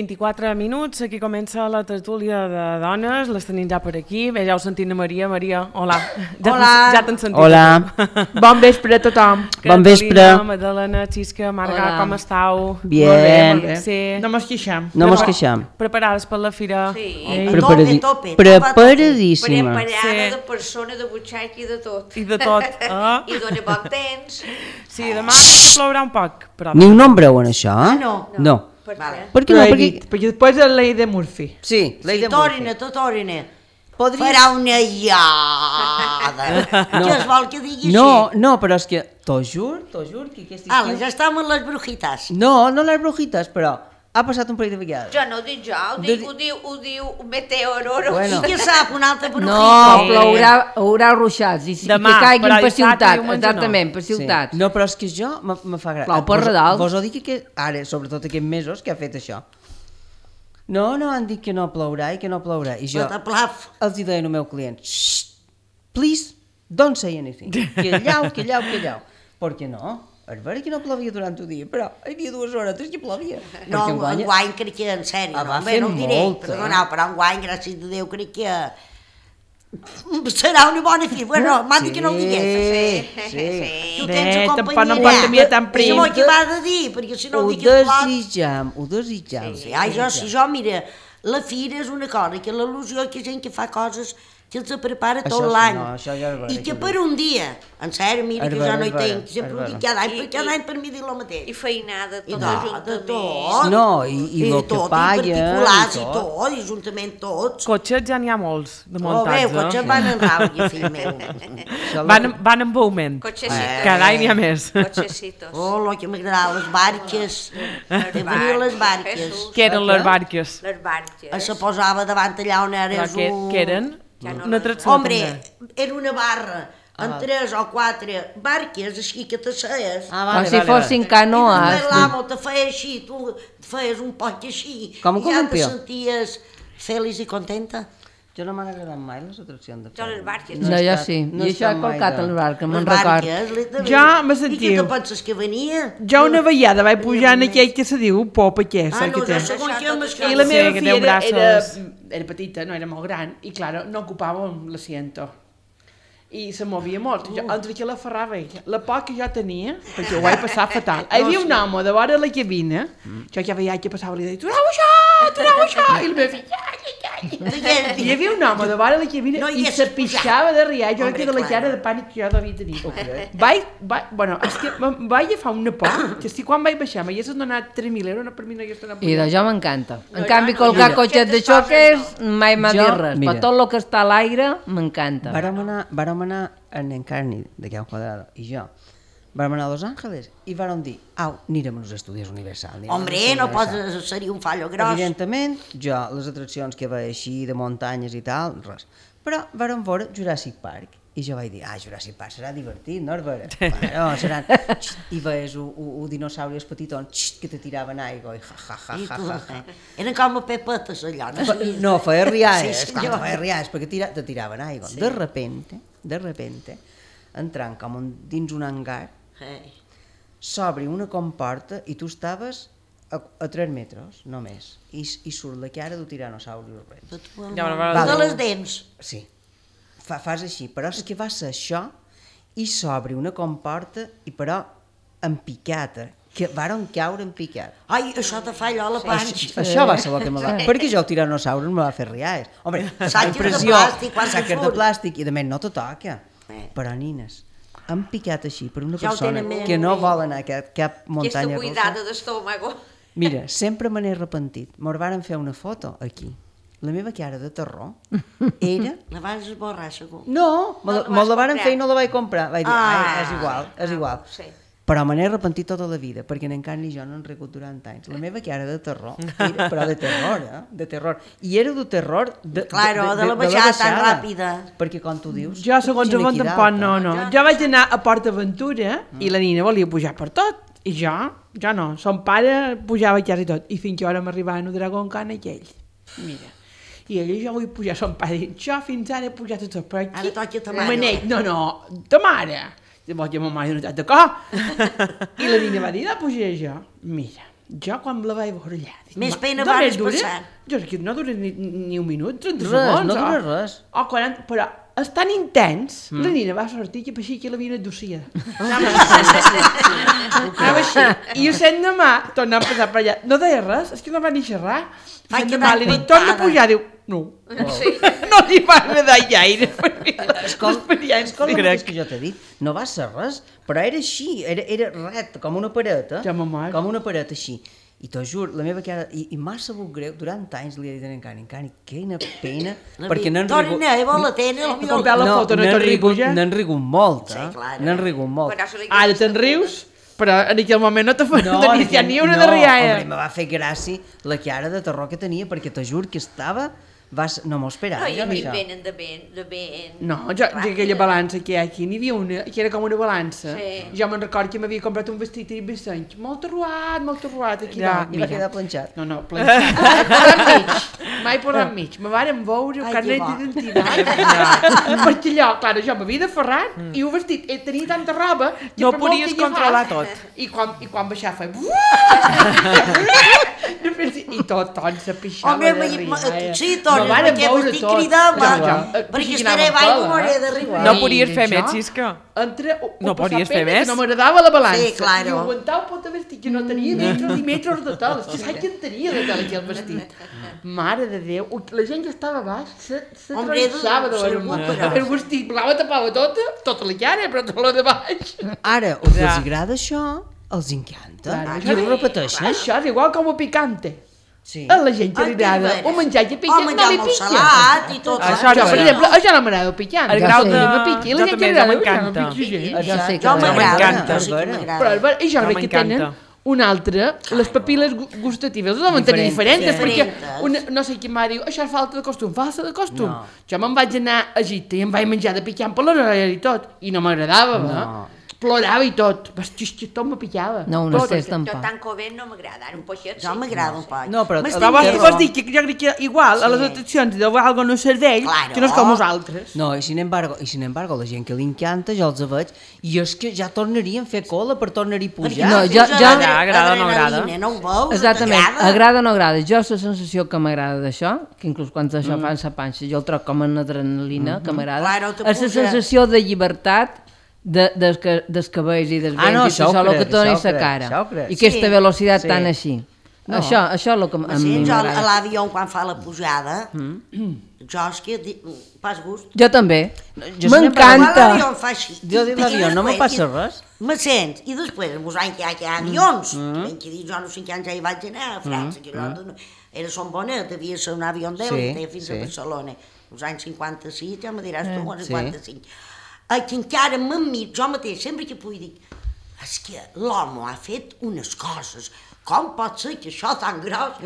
24 minuts, aquí comença la tertúlia de dones, les tenim ja per aquí. Bé, ja heu sentit na Maria. Maria, hola. Ja t'han sentit. Hola. Bon vespre a tothom. Bon vespre. Magdalena, Xisca, Marga, com estàu? Bien. Molt bé. Sí. No mos queixem. No mos queixem. Preparades per la fira? Sí, Preparadíssima. preparada de persona, de butxaca i de tot. I de tot. I dona bon temps. Sí, demà plourà un poc, però... Ni un nombre en això, eh? No. Per Vale. què no? Perquè després és la de Murphy. Sí, la idea Torina, Torina. Podries... Farà una iada. Què es vol que digui així? No, però és que... T'ho jur que aquest estiu... Ala, ja estem en les brujitas. No les brujitas, però ha passat un parell de vegades. Jo no ho dic jo, ho diu Meteororo. Bueno. I què sap una altra brujita? No, plourà, haurà ruixats, i Demà, que caiguin però per dissabte i ciutat, diumenge exactament, no. per ciutats. Sí. No, però és que jo me fa gràcia. Plou per redalt. Vos ho dic que ara, sobretot aquests mesos, que ha fet això. No, han dit que no plourà i que no plourà. I jo Pataplaf. els hi deia al meu client, please, don't say anything. Callau. Per què no? És vera que no plovia durant el dia, però hi havia 2 hores que plovia. No, enguany crec que, en sèrio, va no, fer no ho diré, molt, perdoneu, però enguany, gràcies a Déu, crec que serà una bona fi. Bueno, m'ha dit que no ho digués. Sí. Tu tens a tampoc no companyia. pot tenir tan prim. Això m'ho va de dir, perquè si no Ho ho dic és plot. desitjam. Sí, jo, mira, la fira és una cosa, que l'il·lusió que gent que fa coses que els prepara tot Això sí, l'any. no, això ja és vera I que que ho per un dia, en sèrio, mira, que jo no hi tinc, sempre ho dic cada any per mi dir el mateix. I feinada, I tot de ajuntament. tot. No, i el que tot, paguen, i particulars, i i tot. tot, i juntament tots. Cotxes ja n'hi ha molts, de Oh, muntats, bé, cotxes van en ràbia, fill meu. Van en augment. Cotxecitos. Cada any n'hi ha més. Cotxecitos. Oh, lo que m'agrada, les barques. De venir les barques. Què eren les barques? Les barques. Se posava davant allà on Però eres què eren? Una atracció, Hombre, també. era una barra amb 3 o 4 barques així que t'asseies. Com si fossin I canoes. després l'amo te feia així, tu feies un poc així. Com un I ja te columpió. senties feliç i contenta. Jo no m'han agradat mai les atraccions de Jo les barques. No, jo sí. I això he colcat a les barques, me'n Les record. barques, literalment. Ja me I què sentiu. te penses que venia? Jo una vegada vaig pujar en aquell que se diu Pop aquesta. Ah, no, que té. ja segons què m'escolta. I la meva Sí, que filla té braços. era petita, no era molt gran, i claro, no ocupava l'assiento. I se movia molt. Jo, entre que la ferrava ella, la por que jo tenia, perquè ho vaig passar fatal. Hi havia un home de vora la cabina, jo ja veia que passava i deia, torneu això, i la meva filla, i hi havia un home de vora la cabina No hi i és se pixava de riar, jo Hombre, crec que de la clar. cara de pànic que jo devia tenir. Bueno, és que em vaig agafar una por, que si quan vaig baixar m'haguessin donat 3.000 euros, no per mi no hagués donat. I d'això m'encanta. En No, canvi, no, colgar no. cotxes de xoques mai m'ha Jo, dit res. mira. Però tot el que està a l'aire m'encanta. Vàrem anar en Encarni, de Can Quadrado, i jo. Vàrem anar a Los Ángeles i vàrem dir, anirem als Estudis Universal. Hombre, no seria un fallo gros. Evidentment, jo, les atraccions que veia així, de muntanyes i tal, res. Però vàrem veure Jurassic Park. I jo vaig dir, Jurassic Park serà divertit, no és vera? Bueno, seran... I veies un dinosauri petiton que te tiraven aigua i I tu, eren com a pepetes allò, no? No, feia rialles, Sí, senyor. feia rialles, perquè te tiraven aigua. De repente, entrant com dins un hangar, s'obre una comporta i tu estaves a 3 metres, només, i surt la cara d'un tiranosaurus rex. De les dents. Sí, fas així, però és que va ser això, i s'obre una comporta, i però en picata, que varen caure en picat. Ai, això te fa allò a la panxa. Això va ser el que me va... Perquè jo el tiranosaurus me va fer rialles. Home, Saques de impressió, plàstic, quan saques de surt. plàstic, i de més no te toca. Però, nines, han picat així per una Ja ho persona tenen més. que no vol anar a cap Aquesta muntanya russa. cuidada d'estómago. Mira, sempre me n'he arrepentit. Me'n varen fer una foto aquí. La meva cara de terror era... La vas esborrar, segur. No, No la me vas la varen comprar. fer i no la vaig comprar. Vaig dir, és igual, és Ah, igual. sí. Però me n'he arrepentit tota la vida, perquè en canvi jo no he rigut durant anys. La meva cara de terror, era, però de terror, de terror. I era de terror de la baixada tan ràpida. Perquè, com tu dius... Jo, segons potser el món aquí tampoc, dalt, no. Jo vaig anar a Port Aventura i la nina volia pujar per tot. I jo no. Son pare pujava quasi tot. I fins que ara m'arribava un Dragon Khan aquell. Mira. I ella, jo vull pujar, son pare diu, jo fins ara he pujat a tot, però aquí... Ara toca ta mare. Manet, no, ta mare. Llavors ja ma mare no està d'acord. I la nina va dir, pujaré jo. Mira, Jo quan la vaig veure allà... Dic, Més pena només vares dura? passant. Jo sé que no dura ni un minut, 30 Res, segons. no dura res. O 40, però és tan intens, la nina va sortir que parecia que l'havien adducida. Anava així. I ho sent demà, tornant a passar per allà. No deia res, és que no va ni xerrar. Ai, que Demà li dic, espantada. torna a pujar, diu, no. No li va agradar gaire. L'escola mateix que jo t'he dit, no va ser res, però era així, era ret, com una pareta, Ja m'ha mort. com una pareta així. I t'ho juro, la meva cara, i m'ha sabut greu, durant anys li he dit a en Cani, quina pena, perquè n'han rigut... Torna, vol la tena, Com veu la foto, no t'han rigut ja? N'han rigut molt, Sí, clar. N'han rigut molt. Ara te'n rius, però en aquell moment no te fa ni una de rialla. Home, me va fer gràcia la cara de terror que tenia, perquè t'ho juro que estava... No m'ho esperava. No, i a mi això. venen de ben... No, jo aquella balança que hi ha aquí, n'hi havia una, que era com una balança. Sí. Jo me'n recordo que m'havia comprat un vestit i vessenys, molt arruat, aquí Ja, dalt. I va quedar planxat. No, planxat. Mai posat mig. Me varen veure el Ai, carnet que bo. d'identitat. Perquè allò, clar, jo m'havia de ferrar i ho vestit, tenia tanta roba que No per molt podies que agafàs- controlar tot. I quan baixava feia... I tot se pixava Home, de rialla. sí, torna, Me varen perquè veure estic tot. cridant, Ja, perquè que estaré anava baix pela, m'hauré d'arribar. No podies fer més, Xisca. No podies fer més? No m'agradava la balança. Sí, claro. I aguantava pot vestit, que no tenia metros i metros de tel. És que saps que en tenia de tel aquell vestit. Mare de Déu, la gent que estava a baix se Hombre, tronçava de veure segur, però. el vestit blau tapava tota la cara, però tota la de baix. Ara, els que els agrada això, els encanta. I ho repeteixen. Això és igual com a picante. Sí. A la gent que li Ai, agrada de o menjar que O pica, no menjar li molt pica. salat i tot. Això Jo, per exemple, això no m'agrada el picant. El grau de... No pica. I la Jo gent també, que ja li agrada, m'encanta. no pica gent. Això sí que Jo m'agrada, m'encanta. jo sí que Però m'agrada. jo No crec que tenen m'encanta. una altra, les papil·les gustatives les deuen tenir diferents, sí. perquè Diferents. no sé qui em va dir, això és falta de costum, falta de costum. No. Jo me'n vaig anar a Egipte i em vaig menjar de picant per l'horari i tot, i no m'agradava, no. Plorava i tot, tot me pillava. No, un Tot. estès Jo tampoc. tan covent no m'agrada, ara un poixet sí. Jo m'agrada un poc. No, però M'estic troba- Tu dient- vols dir que jo crec que igual a les Sí. atraccions de algo no serveix, Claro. que no és com nosaltres. No, i sin embargo, la gent que li encanta, jo els veig, i és que ja tornarien a fer cola per tornar-hi a pujar. No, Perquè jo- és jo- agrada o no agrada? adrenalina, no ho veus? Exactament, T'agrada? agrada o no agrada. Jo la sensació que m'agrada d'això, que inclús quan això fan sa panxa, jo el troc com una adrenalina que m'agrada, Claro, te és la puja. sensació de llibertat dels cabells i dels vents no, i això ho això, el que crec, et dona això ho sa crec, cara. això ho crec. I aquesta Sí. velocitat Sí. tan així. No. Això és el que a mi Sí, jo a m'agrada. l'avió quan fa la pujada, jo és que pas gust. Jo també. jo M'encanta. L'avió em fa així. Jo dic l'avió, no me I passa després res. Me sents, i després, vos anys que hi ha avions, que dic, jo no sé quants ja hi vaig anar a França, que jo era Son Bonet, devia ser un avió d'èlite fins a Barcelona, els anys 56, ja me diràs tu, els 55. Que encara m'admiro, jo mateix, sempre que puc dir, és que l'home ha fet unes coses, com pot ser que això tan gros...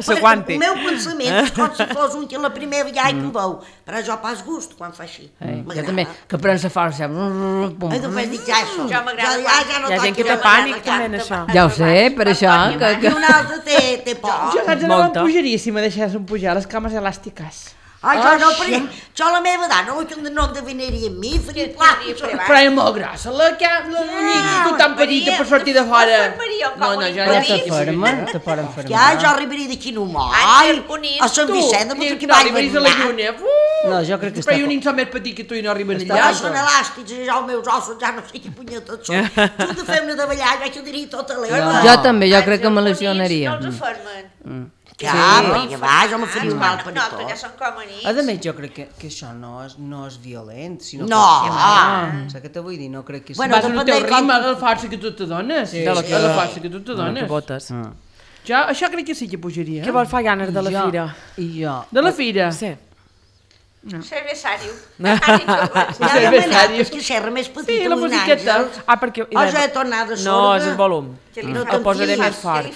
S'aguanti. El meu pensament és com si fos un que la primera vegada que ho veu, però jo pas gust quan fa així. Jo també, que prens la força. I després dic, ja això, Jo m'agrada ja no Hi ha gent que toca té ja pànic la també en carta. això. Ja ho sé, per això I un altre té por. Jo saps on Molta. em pujaria si me deixessin pujar les cames elàstiques. Ai, jo no, perquè jo la meva edat no endevinaria amb mi, faria plats. Però és molt grossa, la mica tan petita per sortir de fora. No, jo Però ja t'aferma, te poden fer Ja, jo arribaria d'aquí no mai. Ai, bonic, A Sant Tu, Vicent, i que no vaig arribaries a la anar. lluna. No, jo crec que Però hi ha un està... nin som més petit que tu i no arriben Ja allà. són elàstics, i ja els meus ossos ja no sé què punyetes són. Tu de fer-me de ballar, ja que diria tota l'hora. Jo també, jo crec que me lesionaria. No els afermen. Ja, perquè va, jo me faria un mal per No, que ja tot. són com a nits. A més, jo crec que això no és violent, sinó No. que... Saps què te vull dir? No crec que... Bueno, Vas al depèn teu de com- ritme, la força que tu te dones. De la que- A la força que tu te Que dones. botes. Jo, això crec que sí que pujaria. Què vol fa ganes de la Jo- fira? I jo... De la fira? Sí. Cervesari. Ja Sí, no m'he anat, sèrio. és que serra més petita, Sí, la un musiqueta. àngel. Ah, perquè... O ja he tornat de No, sorda. és el volum. Que li No fa- El posaré t'enfiles, més fort.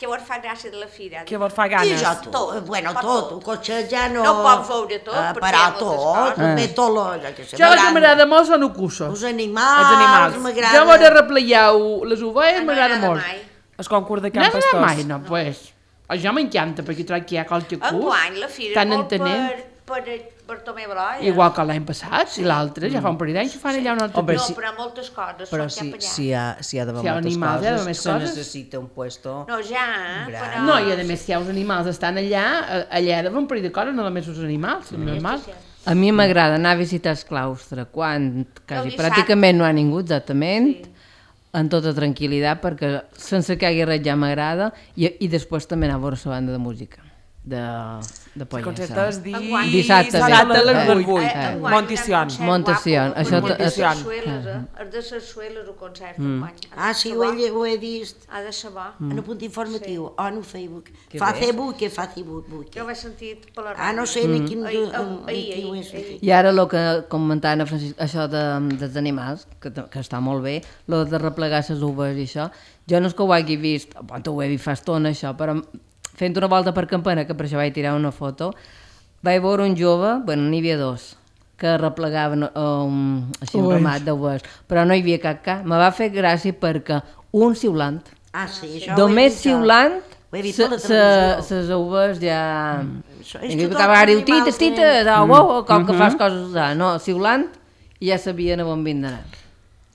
Què vos fa gràcia de la fira? Què vol fa I ganes? jo tot, bueno, tot, el cotxe ja no... No pot veure tot, perquè Però hi ha moltes tot, coses. ve tot lo... Jo què sé, Jo el que m'agrada. m'agrada molt són ocusos. Els Els animals, animals. m'agrada... Jo m'ho de replegar les ovelles, m'agrada molt. El concurs de No Camp has anat Pastors. mai, no, pues. Jo m'encanta, perquè trobo que hi ha qualque Enguany la curs fira tan és molt entenent. Bartomeu Broia. Igual que l'any passat, i l'altre, ja fa un parell d'anys que fan allà un altre. Home, No, però moltes coses Però són cap allà. si hi ha d'haver Si hi ha moltes animals, hi ha d'haver coses, més se coses. necessita un puesto... No, ja, Gran. però... No, i a més, si hi ha uns animals estan allà, allà ha d'haver un parell de coses, no només els animals, és normal. A mi m'agrada anar a visitar el claustre quan quasi dissabte. pràcticament no ha ningú, exactament, en tota tranquil·litat, perquè sense que hi hagi res ja m'agrada, i després també anar a veure la banda de música de El concert Pollessa. és Dissabte a les 8. Montición. Montición, això això... Montición. És de Sarsueles, el concert, enguany. Ah, sí, ho he vist. Ha de ser bo. En un punt informatiu, o no Facebook. Facebook. Jo ho he sentit per la ràdio. Ah, no sé ni quin... Ahir. ho he sentit. I ara el que comentaven a Francisc, això dels animals, que està molt bé, el de replegar les uves i això, jo no és que ho hagi vist, ho he vist fa estona això, però fent una volta per Campana, que per això vaig tirar una foto, vaig veure un jove, bueno, n'hi havia dos, que replegaven així un ramat d'uves, però no hi havia cap. Me va fer gràcia perquè un xiulant, Ah, sí, això ho he només vist jo. xiulant, Ho he vist per la televisió. les uves ja... Això és I que acaba tots diu, els tites, animals tites, com que fas coses, no, xiulant, i ja sabien a on havien d'anar.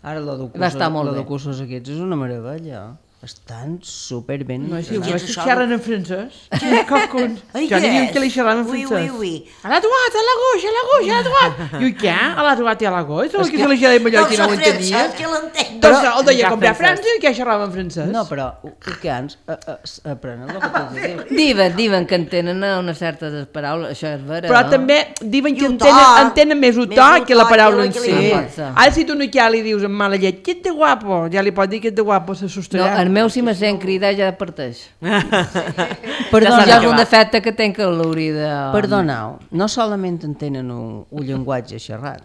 Ara Va estar molt bé. de cursos aquests és una meravella. Estan superben. No, sí, Què és que això? xerren en francès. Cocons. Ai, Jo què n'hi havia és? que li xerraven en Ui, francès. ui. A la trobat, a la goix, a la trobat. I ui, què? A la trobat i a la goix? Que se li xerrava millor que no ho entenia. Que l'entenc. Doncs el deia Ja com a francès. França i que xerrava en francès. No, però ucans aprenen el que tu dius. Diuen que entenen una certa paraules, això és vera, Però no? també diuen que I ho to, entenen més el més to el que la to paraula que en la si. que li dius. Ara si tu no ja li dius amb mala llet, que ets de guapo, ja li pots dir que ets de guapo, se No, sostrà. el meu si me sent cridar ja parteix. Perdona, Ja és un defecte que tenc que l'hauria de... Perdoneu, no solament entenen un llenguatge xerrat.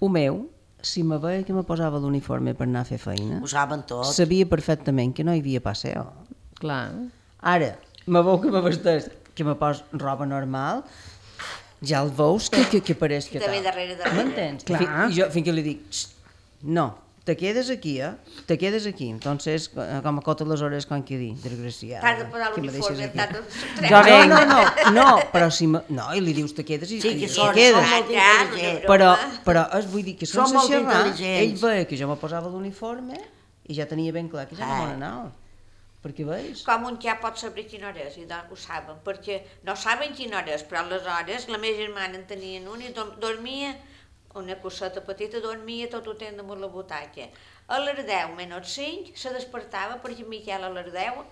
El meu, si me veia que me posava l'uniforme per anar a fer feina, Ho saben tot. sabia perfectament que no hi havia passeo. Clar. Ara, me veu que me vesteix, que me pos roba normal, ja el veus que pareix que Que ve tal. darrere. M'entens? Clar. I jo fins que li dic, "Xt, no, te quedes aquí, te quedes aquí. Entonces, com a cota les hores, com que dir, desgraciat. T'has de posar que me deixes l'uniforme, aquí. t'has de... Ja venc. No, però si me... No, i li dius, te quedes i Sí, que i són quedes. molt intel·ligents. Però vull dir que Són sense molt xerrar, ell intel·ligents. veia que jo me posava l'uniforme i ja tenia ben clar que ja no me n'anava. Perquè veus? Com un ja pot saber quina hora és, i doncs ho saben, perquè no saben quina hora és, però aleshores la meva germana en tenien una i dormia, una coseta petita, dormia tot el temps damunt la butaca. A les 10 menys 5 se despertava perquè en Miquel a les 10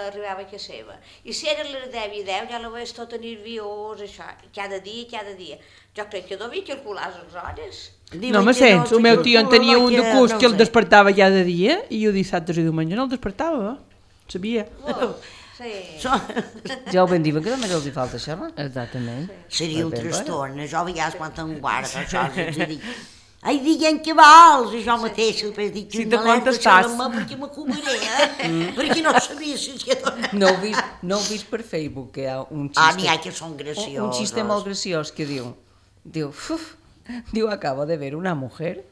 arribava a casa seva. I si era a les 10 i 10 ja la veies tota nerviós, això, cada dia. Jo crec que devia calcular les hores. No me sents, el meu tio en tenia un de curs que el despertava cada dia i jo dissabtes i diumenge no el despertava. Sabia. Sí. Ja ho ben diuen que només els hi falta xerrar. Exactament. Seria un Ben, trastorn. Jo a vegades quan em guardo això, els dic, ai, diguem què vols, i jo mateix, després dic, Si te contestàs. perquè m'acobaré, perquè no sabia si és que... No heu vist per Facebook que hi ha un xiste... Ah, n'hi ha que són graciosos. Un xiste molt graciós que diu, acabo de ver una mujer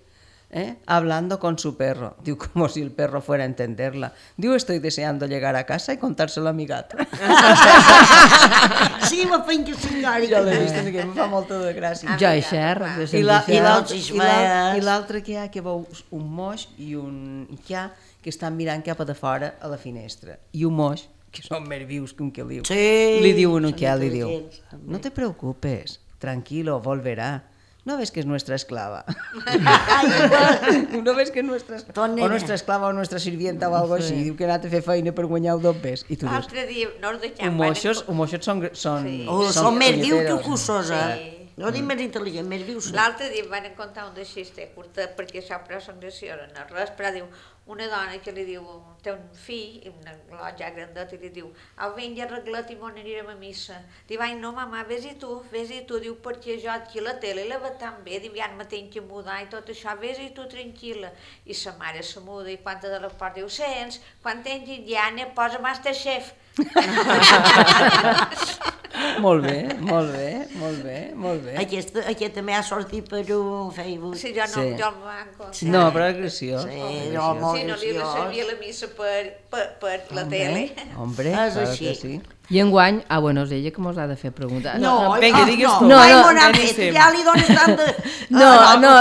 hablando con su perro. Diu, como si el perro fuera a entenderla. Diu, estoy deseando llegar a casa y contárselo a mi gato. Sí, me feien que senyora. Jo l'he vist, que em fa molta de gràcia. Jo hi xerro. I l'altre que hi ha, que veus un moix i un ja que estan mirant cap a de fora a la finestra. I un moix, que són més vius que un queliu. Sí, Li diu un són que li diu, intel·ligents. no te preocupes, tranquilo, volverá. ¿No ves que es nuestra esclava? ¿No ves que es nuestra esclava? O nuestra esclava o nuestra sirvienta o algo així. Diu que ha anat a fer feina per guanyar el dobbes. I tu dius, L'altre dia no ens deixem... un moixos són Són més vius que punyeteros. cossos, No dic més intel·ligent, més vius. L'altre dia em van contar un de xiste curta, perquè això però són gracioses, no res, però diu, una dona que li diu, té un fill, un ja grandet, i li diu, au, vinga, arregla't i m'on anirem a missa. Diu, ai, no, mama, vés-hi tu, diu, perquè jo aquí la tele la veig tan bé, diu, ja me tinc que mudar i tot això, vés-hi tu tranquil·la. I sa mare se muda i quan de la porta diu, sents, quan tens Indiana, posa Masterchef. Molt bé, molt bé, molt bé, molt bé. Aquest també ha sortit per un Facebook. Sí, jo no em manco. No, però és graciós. Sí, no, molt Sí, no li servia la missa per la tele. Hombre, És claro així. que sí. I enguany, és ella que mos ha de fer preguntar. vinga, digues tu. No, Ai, no, mon amic, beníssim. ja li dones tant de... No,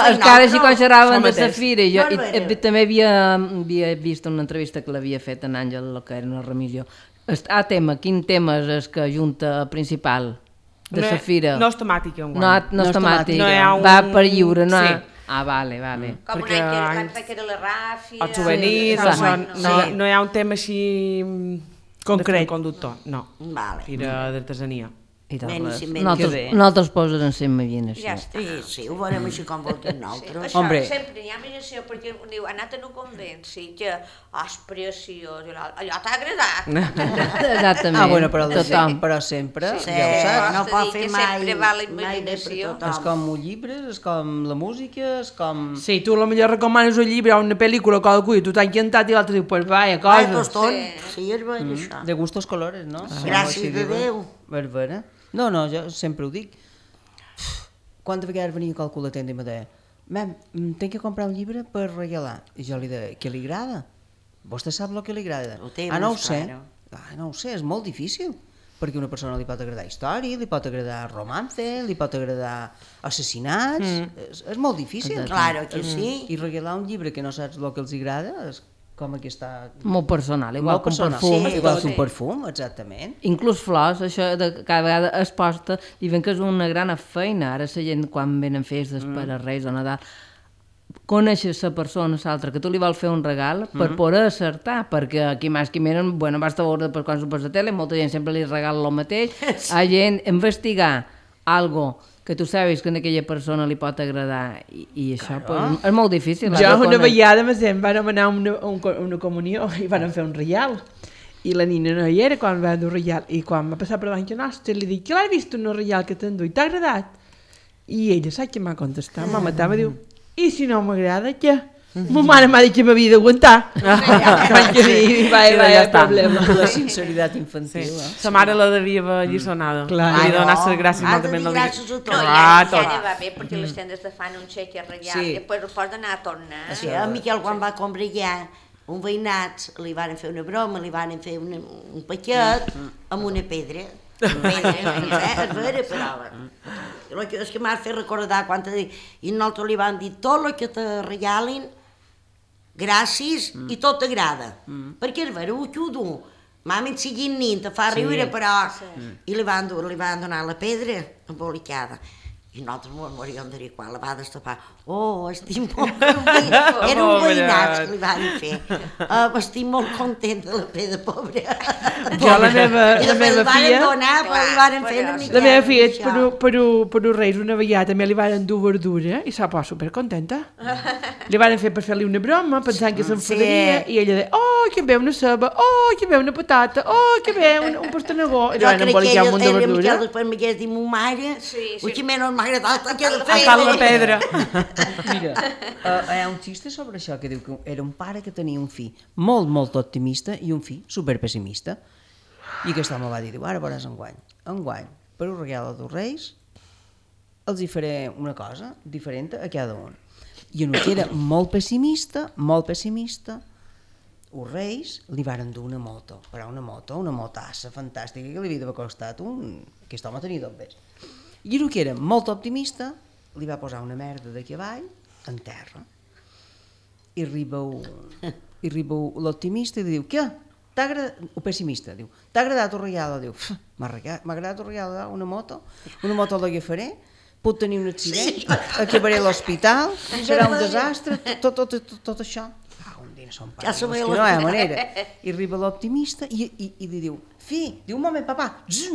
és que ara així quan xerraven Això de mateix. Safira, jo No, també havia vist una entrevista que l'havia fet en Àngel, que era una remissió. Quin tema és el que junta principal de Safira? No és temàtica, enguany. No és temàtic, No hi ha va per lliure, no? Sí. Ah, vale. Com un any que era la Ràfia... Els souvenirs, Sí, això, no hi ha un tema així... Concret. De conductor, no. Vale. Fira d'artesania. I tal, Beníssim, nosaltres posen en la imaginació. Ja està. Sí, ho veurem així com voltem nosaltres. Això Hombre. sempre hi ha imaginació, perquè diu, ha anat en un convent, sí, que és preciós, allò t'ha agradat. Exactament. Bueno, tothom. però sempre, Sí, ja ho saps. no pot fer mai... Sempre va la mai bé per imaginació. tothom. És com els llibres, és com la música, és com... Sí, tu potser recomanes un llibre o una pel·lícula o qualcú i tu t'ha encantat i l'altre diu, pues vaya, Ai, cosa. tostón. Sí, és bé, això. De gustos colores, no? Gràcies de Déu. Barbara. No, jo sempre ho dic. Quantes vegades venia qualcú a la tenda i me deia «Mem, tenc que comprar un llibre per regalar». I jo li deia «Què li agrada? Vostè sap el que li agrada?» Ho té no ho més sé. clar. No ho sé, és molt difícil. Perquè a una persona li pot agradar història, li pot agradar romance, li pot agradar assassinats... És molt difícil. Claro que sí. I regalar un llibre que no saps el que els agrada és com que està... Molt personal, igual molt que un personal. perfum. Sí, igual que un perfum, exactament. Inclús flors, això de cada vegada es posta, diuen que és una gran feina, ara la gent quan venen festes per a Reis o Nadal, coneixes la persona, l'altra, que tu li vols fer un regal per poder acertar, perquè aquí més que menys, bueno, basta veure per quan surts a la tele, molta gent sempre li regala el mateix, a gent investigar algo que tu sabis que a aquella persona li pot agradar i això pues, és molt difícil. Jo una vegada vam anar a una comunió i van fer un reial i la nina no hi era quan va dur reial i quan va passar per davant nostra li dic que l'has vist un reial que t'endú i t'ha agradat? I ella sap què m'ha contestat, m'ha matat, me diu i si no m'agrada què? Ma mare m'ha dit que m'havia d'aguantar. Vaig dir, vaya problema. La sinceritat infantil. Sa mare la devia haver alliçonada. Clar. Li donar les gràcies Ha de moltament. dir gràcies a No, tot. ja ne va bé, perquè les tendes te fan un xeque reial Sí. i després ho pots anar a tornar. Sí, a Miquel quan va combregar un veïnat li van fer una broma, li van fer un paquet amb una pedra. És vera, però és que m'ha fet recordar quan i nosaltres li van dir tot el que te regalin gràcies i tot t'agrada. Perquè és vera, ho xudo. Mami et siguin nin, te fa riure, però... I li van donar la pedra embolicada. I nosaltres ens moríem de dir quan la va destapar. Oh, estic molt content. Era un veïnat que li van fer. Estic molt content de la pedra, pobra. Jo la meva I després li van filla... donar, però li van fer una mica... La meva filla, per un reis, una vegada, també li van dur verdura i s'ha posat supercontenta. Li van fer per fer-li una broma, pensant que s'enfadaria, i ella deia, oh, que bé una ceba, oh, que bé una patata, oh, que bé un pastanagó. I li van embolicar un munt de verdura. Després m'hagués dit, ma mare, que menys m'ha agradat aquella A cal la pedra. Mira, hi ha un xiste sobre això que diu que era un pare que tenia un fill molt, molt optimista i un fill superpessimista. I aquest home va dir, ara veuràs enguany, per un regal dels Reis, els hi faré una cosa diferent a cada un. I un que era molt pessimista, els Reis li varen dur una moto, però una motassa fantàstica que li havia d'haver costat aquest home tenia 2 vés. I el que era molt optimista li va posar una merda de cavall en terra. I arriba l'optimista i diu, què? El pessimista diu, t'ha agradat el regal? Diu, m'ha agradat el regal, una moto l'agafaré, pot tenir un accident, acabaré a l'hospital, serà un desastre, tot això. Un dia no són pares, que no hi ha manera. I arriba l'optimista i li diu, diu, un moment, papà,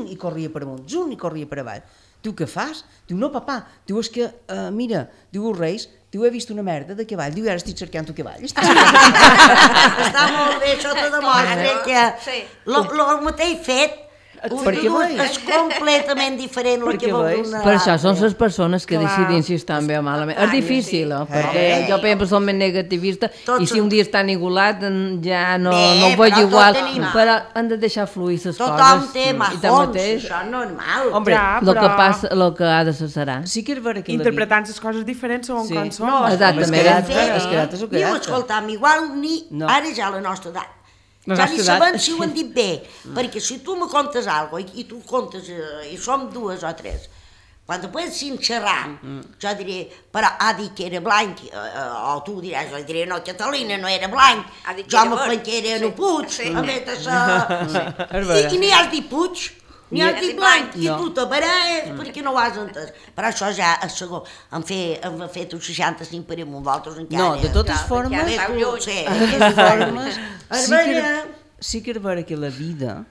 i corria per amunt, i corria per avall. Diu, què fas? Diu, no, papà. Diu, és que, mira, diu, els Reis, diu, he vist una merda de cavall. Diu, ara estic cercant un cavall. Està molt bé, això te demostra que el mateix fet Perquè veus? És completament diferent el que Perquè vol veus? una Per això són l'altra. les persones que decidim si estan bé o malament. És difícil, perquè jo, per exemple, soc més negativista Tots i si un dia estan igualat ja no Bé, ho veig però igual, tot tenim- però han de deixar fluir les coses. Tothom té I majons, tanmateix, això és normal. Hombre, Ja, el que però passa, el que ha de ser serà. sí que és vera que interpretant les coses diferents segons Sí. com són. No, Exactament. és que és el Diu, caràcter. escolta'm, igual ni No. ara ja a la nostra edat. La Ja nostra ni edat. sabem si ho han dit bé, perquè si tu me contes alguna cosa i tu contes, i som dues o tres, quan després si en xerram, jo diré, però ha dit que era blanc, o tu diràs, jo diré, no, Catalina no era blanc, Ha dit que jo era me verd. planquera en Sí. el Puig, Sí. a més d'això... és vera. I ni has dit Puig, ni has dit blanc, i No. tu t'apareix perquè no ho has entès. Però això ja és segon, hem fet uns 65 per amunt, vosaltres encara... No, de totes Clar, formes, ja esteu lluny. Sí. de totes formes, És sí que, vera. sí que és vera que la vida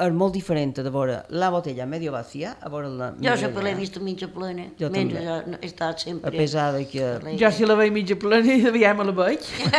és molt diferent de veure la botella medio vacía a veure la Jo sempre l'he vist mitja plena, Jo mentre també. he estat sempre... A pesar de que... Jo si la veig mitja plena i aviam me la veig. I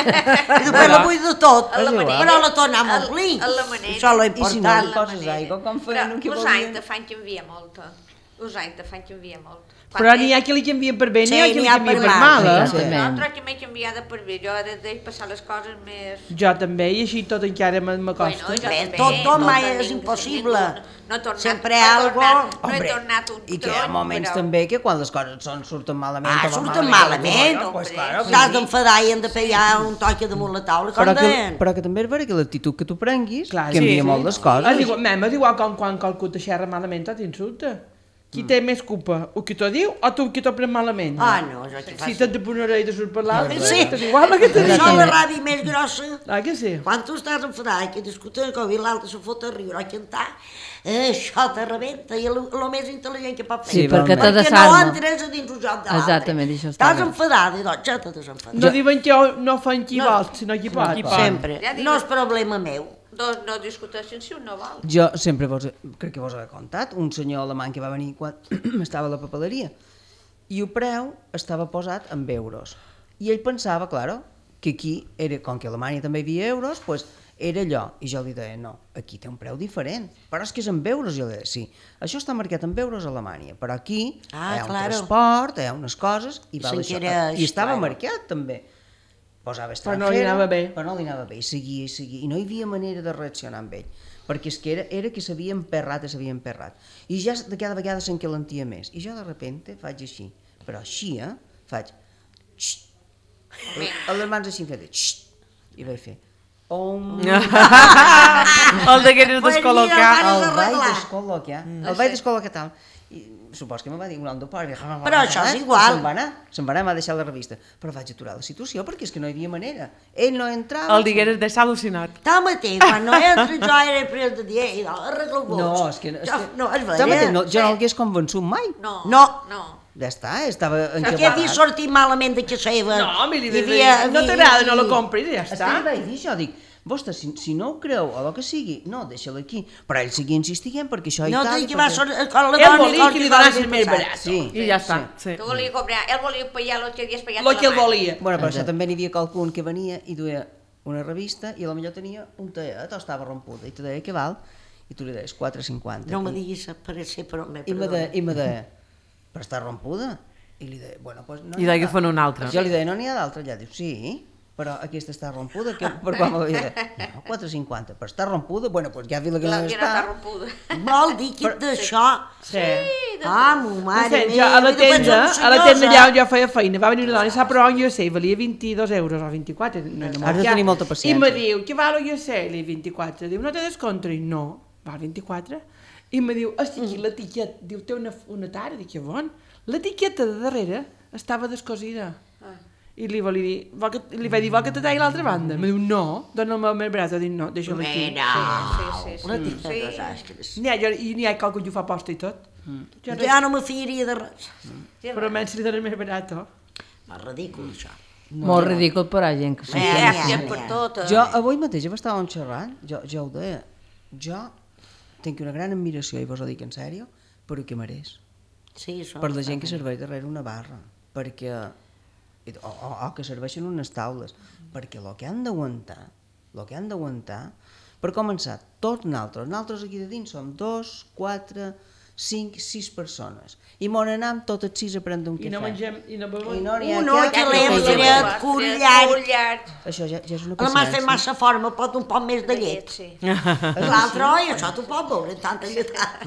després la vull de tot, A la manera. però la tornem a omplir. A la manera. Això és lo I si no important. li poses aigua, com feien Però el que us anys volien? de fan que envia molta. Us anys de fan que envia molt. Però n'hi ha que li canvien per bé, Sí, n'hi ha que n'hi li ha canvien per per mal. mal, eh? Exactament. Nosaltres que m'he canviada per bé, jo he de passar les coses més... Jo també, i així tot encara m'acosta. jo Bé, també, tot mai tenim- és impossible. No he tornat, Sempre no he algo- tornat, no he Hombre, tornat un I que hi ha moments però- també que quan les coses surten malament... Ah, o van surten malament, malament. pues, claro, T'has d'enfadar i hem de pegar un toque damunt la taula, com però que, deien. però que també és vera que l'actitud que tu prenguis Clar, canvia sí. molt les coses. És igual com quan qualcú te xerra malament o t'insulta. Qui té més culpa? O qui t'ho diu o tu qui t'ho pren malament? Ah, no, jo t'hi Si faig... te pon una orella i surt per l'altra, Sí. és igual el que te diu. Això és la ràbia més grossa. Ah, que sí? Quan tu estàs enfadat i que discuten com i l'altre se fot a riure o a cantar, això te rebenta i és el més intel·ligent que pot fer. Sí, perquè te Perquè no desarma. entres a dins el joc de l'altre. Exactament, això està Estàs bé. enfadat i doncs ja te desenfadat. No diuen que no fan qui No. vol, sinó qui pot. Sempre. Ja dic- No és problema meu. Dos no discuteixen si un no vol. Jo sempre crec que vos he contat, un senyor alemany que va venir quan estava a la papeleria i el preu estava posat en euros. I ell pensava, claro, que aquí, era, com que a Alemanya també hi havia euros, pues era allò. I jo li deia, no, aquí té un preu diferent. Però és que és en euros. Jo li deia, sí, això està marcat en euros a Alemanya, però aquí Ah, hi ha un claro. transport, hi ha unes coses, i val això. s'enquereix, I estava claro. marcat també. Posava Però no li anava bé. Però no li anava bé, i seguia, i no hi havia manera de reaccionar amb ell, perquè és que era que s'havia emperrat, i ja de cada vegada s'encalentia més, i jo de repente faig així, però així, faig, xxt, a les mans així em feia, xxt, i vaig fer, El de que eres Pues descol·locar. mira, el vaig arreglar. descol·locar, el vaig descol·locar tal, i supos que me va dir un altre pare, Però això és igual. se'n va anar, m'ha deixat la revista, però vaig aturar la situació perquè és que no hi havia manera, ell no entrava. El digueres deixar al·lucinat. Tanmateix, quan no entra jo era pres de dir, i arregla-ho vos. No, és que... No, és Tanmateix, vera. jo no l'hagués convençut mai. No. No. No. Ja està, estava Perquè he vist sortir malament de casa seva. No, miri, Hi havia- no t'agrada, no la compris i ja És que està. li vaig dir això, dic, vostre, si no ho creu o el que sigui, no, deixa-la aquí. Però ell seguia insistint perquè això No i tal. t'he i que va perquè- sortir con la Ell dona volia que li donessin més barat. Sí, I ja està. Sí. Que volia comprar, ell volia pagar el que havies pagat El que ell volia. Bueno, però això també n'hi havia qualcun que venia i duia una revista i potser tenia un teat o estava rompuda i te deia què val i tu li deies 4,50. No me diguis per ser, però me I me perdona. deia, però està rompuda? I li deia, bueno, doncs no I deia que fan un altre. Jo li deia, no n'hi ha d'altra? Allà diu, sí, però aquesta està rompuda, que, per quan m'havia dit, no, 4,50, però està rompuda? Bueno, doncs ja vi la que La no que no està està. rompuda. Vol dir que d'això... Sí. Ah, mo mare Jo, a la i després tenda, som a la tenda senyors, allà on jo feia feina, va venir una dona i s'ha provat un USA, valia 22 euros o 24. No, no Has de tenir molta paciència. I me diu, què val el USA? Li dic 24. Diu, no té descompte? Dic, no, val 24. I me diu, hosti, aquí l'etiqueta, diu, té una tara, dic, que bon. L'etiqueta de darrere estava descosida. I li vaig dir, vol que te talli l'altra banda? Me diu, no, dona'm el meu braç. Dic, no, deixa-la aquí. Sí, sí, La sí. tica de desastres. N'hi ha qualcú que ho fa posta i tot. Jo Ja no me fiaria de res. però menys li donen més barat, oh. És ridícul, això. Molt ridícul per a gent que s'ho Ja, sent. ja, Per ja. tot. Jo avui mateix estàvem xerrant, jo ho deia, jo tinc una gran admiració, i vos ho dic en sèrio, per el que mereix. Sí, això. Per la gent que serveix darrere una barra, perquè, o que serveixen unes taules, perquè el que han d'aguantar, Per començar, tots nosaltres aquí de dins som 2, 4, 5, 6 persones. I m'on anem tots els 6 a prendre un cafè. I no mengem, i no bevem. Uno, calem, fred, cullat. Això ja és una La m'has fet paciència. massa forma, pot un poc més de llet. Sí. L'altre, oi, això t'ho pot veure, tanta lletat.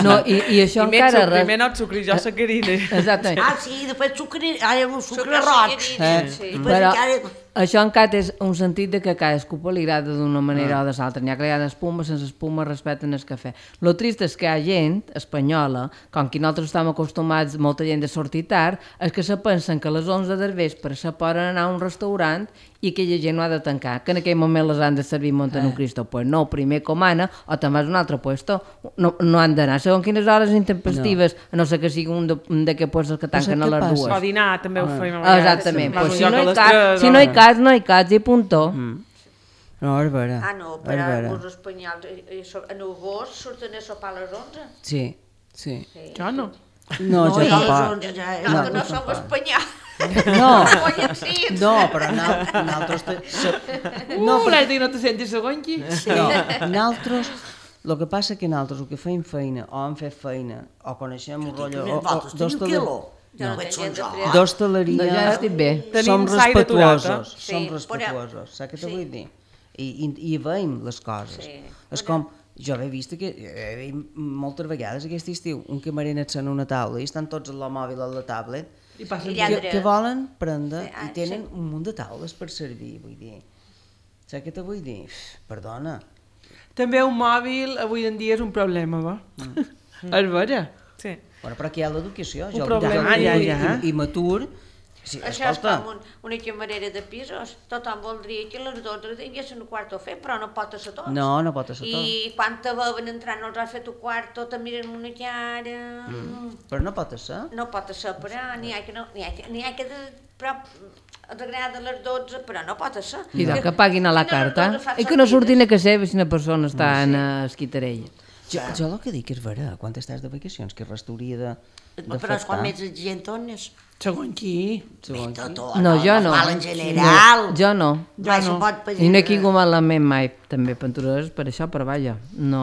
No, i això I més encara... sucre, primer no et sucri, jo sacarina. Exactament. Ah, sí, després sucre, ara un sucre Sucre roig. sucre, sí. Després Però encara... això encara és un sentit de que a cadascú li agrada d'una manera o de l'altra. N'hi ha que li agrada espuma, sense espuma, respecten el cafè. Lo trist és que hi ha gent espanyola, com que nosaltres estem acostumats, molta gent de sortir tard, és que se pensen que a les 11 del vespre se poden anar a un restaurant i aquella gent no ha de tancar, que en aquell moment les han de servir muntant un Cristo. Pues no, primer comana o te'n vas a un altre puesto. No han d'anar. Segons quines hores intempestives, a no ser que sigui un d'aquests puestos que tanquen a les què passa? O dues. dinar també ho fèiem a vegades. Exactament. Vas Pues a un si lloc no a hi les cas, tres, si no hi cas, no hi cas, i puntó. No, és vera. Ah, no, però els espanyols en agost surten a sopar a les 11. Sí, sí. Jo no. No, jo ja tampoc. No, que no som espanyols. No, Follen cits. no, però nosaltres... No, l'has dit que no te sentis segon aquí. No, nosaltres... El que passa que nosaltres, el que feim feina, o hem fet feina, o coneixem un rotllo... Més voltes, teniu quilo. No, veig son jo. No, d'hostaleria... ja estic bé. Som Tenim s'aire aturat, respectuosos, Sí, som respectuosos, saps què te vull dir? I veiem les coses. Sí. És com, jo he vist que moltes vegades aquest estiu un camarer et sent una taula i estan tots amb el mòbil a la tablet I passen... que volen prendre Sí, i tenen un munt de taules per servir, vull dir. Saps què te vull dir? Perdona. També un mòbil avui en dia és un problema, va? És vera. Sí. Bueno, però aquí hi ha l'educació. Jo problema. I matur. Sí, Això és escolta, com una camarera de pisos. Tothom voldria que a les 12 tinguessin un quarto a fer, però no pot ser tot. no pot ser tot. I quan te veuen entrar no els has fet un quarto, te miren una cara... Però no pot ser. No pot ser, però n'hi ha que no... N'hi ha que però t'agrada a les 12, però no pot ser. I doncs que paguin a la carta. I que no surtin a casa seva si una persona està en esquitarella. Jo el que dic és vera, quan estàs de vacacions, que res t'hauria de Però és quan més gent dones. Segon qui? No, jo no. Normal en general. Jo no. Mai se pot pedir. I no he tingut malament mai, també pentures per això, però vaja, no...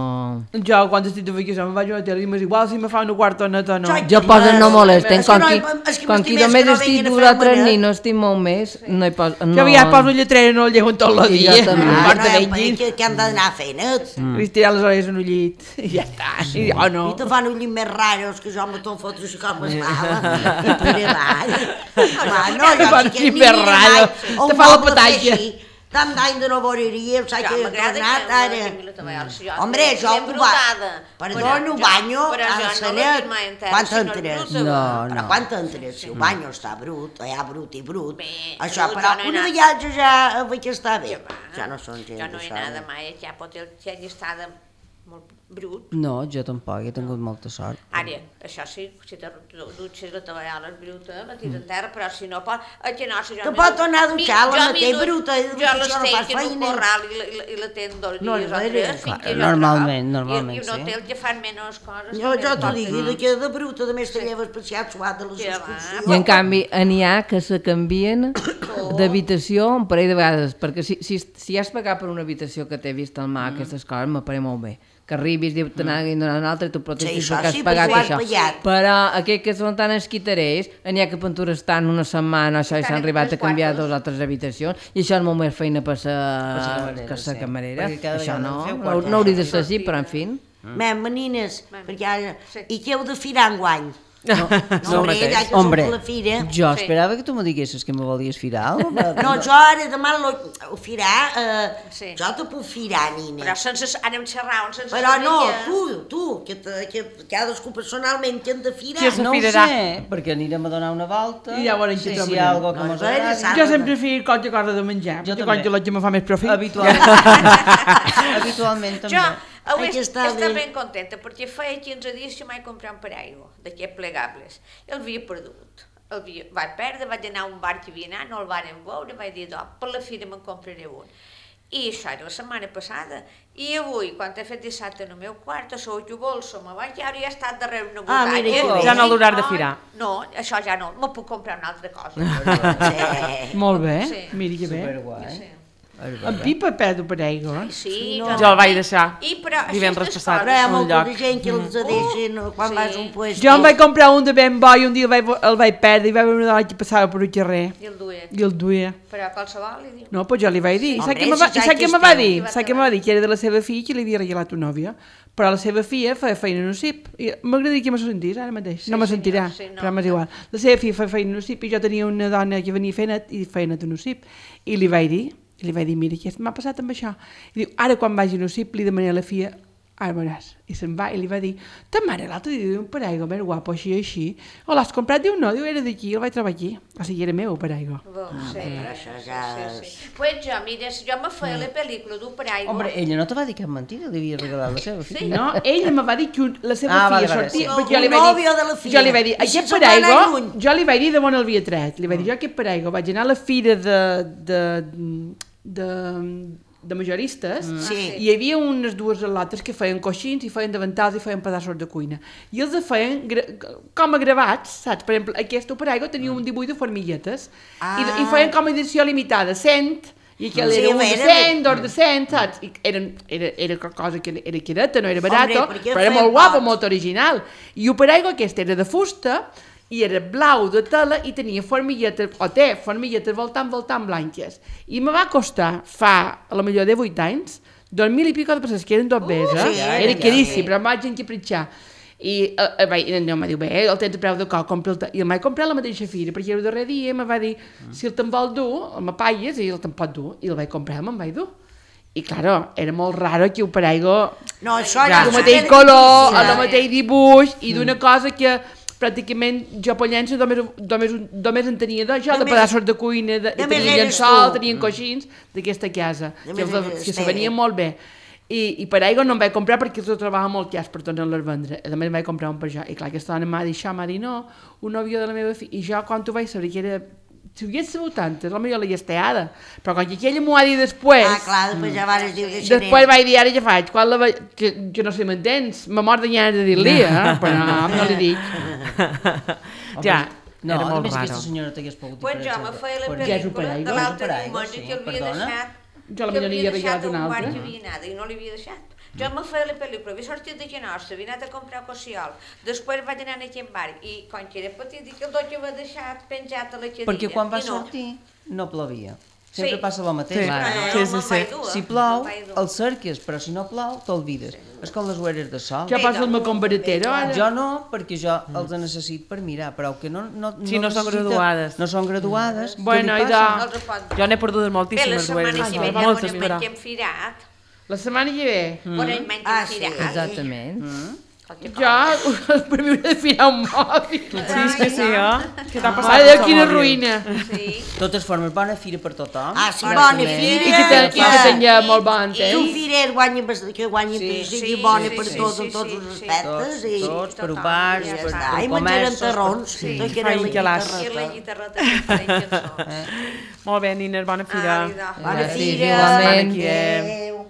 Jo, quan estic de vacació, me'n vaig a la tele i m'és igual si me fa una quarta neta o no. Jo poso no molesten, És que com és que qui m'estimés només que no estic vinguin a 2 fer o 3 manet. nits, no estic molt més, no hi poso... Jo ja poso el lletrero i no el llevo tot el I dia. jo també. Ah, Quarta no, d'enginy. que han d'anar a fer net. Li estirar les orelles en un llit. I ja està. I jo no. I te fan un llit més raros que jo me te'n fotre així com es mala. I per avall. No, Te fan un més raro. Te fa la petatge. Tant d'any de no veuria, saps Ja, que he m'agrada tornat que ara. tingui la taballa. Si jo Hombre, estic jo ben brutada. Perdona, ho banyo Però a jo la no sanet. l'he dit mai entera, Quan si no és t'entres? bruta. No, Però quan t'entres? Si el banyo està brut, hi ha brut i brut. Bé, Això, brut però jo no he una anat. viatge ja vull que està bé. Ja no són gent Jo no he d'això. anat mai, ja pot ser llistada molt brut. No, jo tampoc, he tingut molta sort. Ara, això sí, si te dutxes la tovallola és bruta, la tires en terra, però si no pot... Que no, si jo Te pot anar a dutxar, la mateix bruta, i jo això les no tenc fas en un feina. corral i la tenc 2 No, dies o és 3 vera. fins que jo Normalment, trobo. normalment, I un sí. hotel que fan menys coses. Jo també t'ho pot dic, tenir. que de bruta, de més te lleves paseat suat de les Ja va. excursions. I en canvi, n'hi ha que se canvien d'habitació un parell de vegades, perquè si has pagat per una habitació que t'he vist al mar, aquestes coses, m'apareix molt bé. Que arribis, diu, te n'hagin donat una altra i tu protestis Sí, això perquè has sí, pagat perquè ho has això. pagat. Però aquells que són tan esquitarers, n'hi ha que pentures estan una setmana, això, i s'han Estan en arribat a tres canviar quartos. 2 o 3 habitacions, i això és molt més feina per la sa camarera, que sa sí. camarera. Perquè cada Això vegada no, feu no, quartos. no hauria de ser així, però en fi. Menines, perquè ara... Sí. I què heu de firar enguany? No, hombre, mateix. ja que Hombre, som a la fira... jo esperava que tu me diguessis que me volies firar alguna cosa. No, jo ara demà ho firar... Sí. Jo te puc firar, nina. Però sense... Anem xerrant, sense... Però no, saber tu, que cadascú personalment que hem de firar. Qui és No ho firarà. sé, perquè anirem a donar una volta. I ja veurem què si trobarem. hi ha alguna que No, mos no era agradi. sant. Jo sempre fico qualque cosa de menjar, Jo perquè també. quan que me fa més profit. Habitualment també. Jo avui Ai, que està estava bé. ben contenta perquè feia 15 dies que m'he comprat un paraigua d'aquests plegables. I el havia perdut. Vaig perdre, vaig anar a un bar que havia anat, no el varen veure, vaig dir, per la fira me'n compraré un. I això era la setmana passada. I avui, quan he fet dissabte en el meu quart, a la bolsa, me vaig veure i he estat darrere una Ah, botalla. mira que bé. Ja no l'hauran de firar. No, això ja no, me puc comprar una altra cosa. Sí. Molt bé, Sí. miri que bé. Superguai. Sí. En Pipa perdo per aigua. Sí, Jo el vaig deixar però divendres aquestes passat Però hi ha a un molta lloc. gent que els deixen quan vas a un puesto. Jo em vaig comprar un de ben bo i un dia el vaig perdre i va haver una dona que passava per un carrer I el duia. i el duia. Però qualsevol li diu. No, doncs jo li vaig dir. Home, Saps què si me va saps que dir? esteu. Saps què me va dir? Que era de la seva filla que li havia regalat una nòvia. Però la seva filla feia feina en un CIP. M'agradaria que me sentís ara mateix. No me sentirà, però m'és igual. La seva filla feia feina en un CIP i jo tenia una dona que venia fent i feia net en un CIP. I li vaig dir, mira, què m'ha passat amb això? I diu, ara quan vagi a un CIP li demanaré a la filla, ara veuràs. I se'n va i li va dir, ta mare l'altre dia diu un paraigua més guapo, així. O l'has comprat? Diu, no, diu, era d'aquí, el vaig trobar aquí. O sigui, era meu, el paraigua. Sí, però això ja sí. Pues jo, mira, si jo me feia la pel·lícula d'un paraigua... Home, ella no te va dir cap mentida, li havia regalat la seva filla. No, ella me va dir que la seva Ah, filla vale, sortia... sí. perquè jo li Un vaig dir- nòvio de la filla. Jo li vaig dir, I si aquest se'n va anar paraigua, lluny? jo li vaig dir de on el havia tret. Li vaig dir, jo aquest paraigua vaig anar a la fira de majoristes Sí. i hi havia unes dues al·lotes que feien coixins i feien davantals i feien pedaços de cuina. I els feien com a gravats, saps? Per exemple, aquest paraigua tenia un dibuix de formiguetes i feien com a edició limitada, 100, i aquell Sí, era un de era- 100, dos de 100, saps? I era cosa que era quireta, no era barato, perquè però era feien molt guapo, pocs. molt original. I el paraigua aquest era de fusta i era blau de tela i tenia formiguetes, o té formiguetes voltant blanques. I me va costar, fa a la millor de 8 anys, 2.000 i pico de pesos, que eren 2 beses, sí, era ja, caríssim, sí. però em vaig enquipritxar. I no, em va dir, bé, el tens a preu de coc, compra-el. I el vaig comprar a la mateixa fira, perquè el darrer dia me va dir, si el te'n vol dur, el m'apalles i el te'n pot dur. I el vaig comprar, me'n vaig dur. I, claro, era molt raro que el paraigua No, això el mateix color, el mateix dibuix, i d'una cosa que pràcticament jo pollença només en tenia d'això, de Només- pedaços de cuina, només tenien eres llençol, tu. tenien coixins d'aquesta casa, Només eres que se teva. venien molt bé. I per aigua no em vaig comprar perquè els trobava molt cas per tornar-les a vendre. A més vaig comprar un per jo. I clar, aquesta dona m'ha dit això, m'ha dit no, un nòvio de la meva filla. I jo quan ho vaig saber que era... Si ho hagués sabut antes, potser l'havia esteada. Però quan aquella m'ho ha dit després... Ah, clar, després ja vares dir deixaré. Després vaig dir, ara ja faig, quan la veig, que no sé, m'entens? Me mor de ganes de dir-li, però no li dic. Ja, No, era a molt més aquesta raro. senyora t'hagués pogut Pues jo me feia la Ja és un pel·lícula paraigua. de l'altre És un paraigua, diumenge sí, que l'havia perdona. deixat. Jo la millor li havia regalat un altre. Que havia anat i no l'havia deixat. Jo me feia la pel·lícula, havia sortit de Genossa, havia anat a comprar cossiol, després vaig anar a aquest bar i quan que era petit i que el dotze va deixat penjat a la cadira. Perquè quan va i no. sortir no plovia. Sempre Sí. passa el mateix. Sí. Però Clar. no, Sí, no sí, me'n sí. vaig dur, Si no plou, me'n vaig dur. el cerques, però si no plou, t'olvides. És com les ueres de sol. Ja passa el meu comparatero, ara. Jo no, perquè jo els necessit per mirar, però que no Sí, no són necessita- graduades. No són graduades. Bueno, què li i passa? No els ho pot Jo n'he perdut Bé, la moltíssimes setmana ueres. que ve Moltes, ja però... hem firat. La setmana que ve. Quan ell menys Ah, hem sí, firat. Exactament. Jo, per mi hauré de firar un mòbil. Sí, és que sí, oh? Què t'ha passat? Ai, amb quina el mòbil? ruïna. Sí. De totes formes, bona fira per tothom. Ah, sí, Ara bona també. fira. I que tenia molt bon I temps. un firer guanya, que guanya Sí, sigui sí, bona sí, per sí, tots, sí, en tots sí, els sí. aspectes. I Tots, per tothom, bars, ja per està. Ai, comerços, menjaren per- terrons. Sí, Tot que era feien la calàs. I la guitarreta. guitarreta que feia cançons. Molt bé, Nines, bona fira. Ah, Bona Gràcies, fira. igualment. Aquí, Adéu.